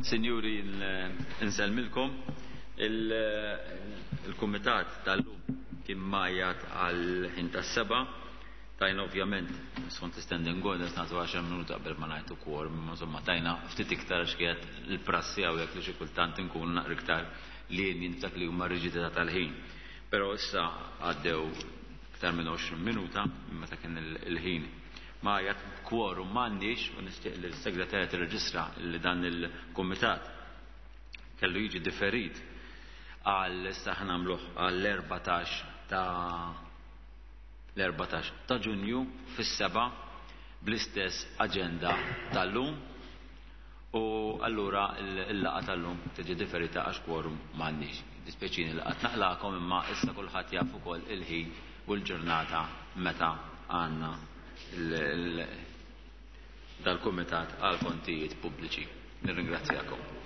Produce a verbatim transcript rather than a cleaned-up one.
Sinjuri, insellmilkom. Il-kumitat tal-lum kien majjat għal ħin tas-seba'. Tajna ovvjament, skont standing orders nagħtu għaxar minuti qabel ma ngħidu quorum, imma insomma tajna ftit iktar għax kienet il-prassi hawnhekk li xi kultant inkunu naqra iktar lenient f'dak li huma riġidità tal-ħin. Però issa għaddew iktar minn għoxrin minuta minn meta kien il-ħin. Majjat, quorum m'għandniex u nixtieq li l-segretarja tirreġistra li dan il-kumitat kellu jiġi differit għal issa ħa nagħmluh għall-erbatax ta' l-erbatax ta' Ġunju fis-seba' bl-istess aġenda tal-lum, u allura l-laqgħa tal-lum tiġi differita għax quorum m'għandniex. Dispjaċini li qatt naqlakom, imma issa kulħadd jaf ukoll il-ħin u l-ġurnata meta għandna dal-kumitat għal kontijiet pubbliċi. Nirringrazzjakom.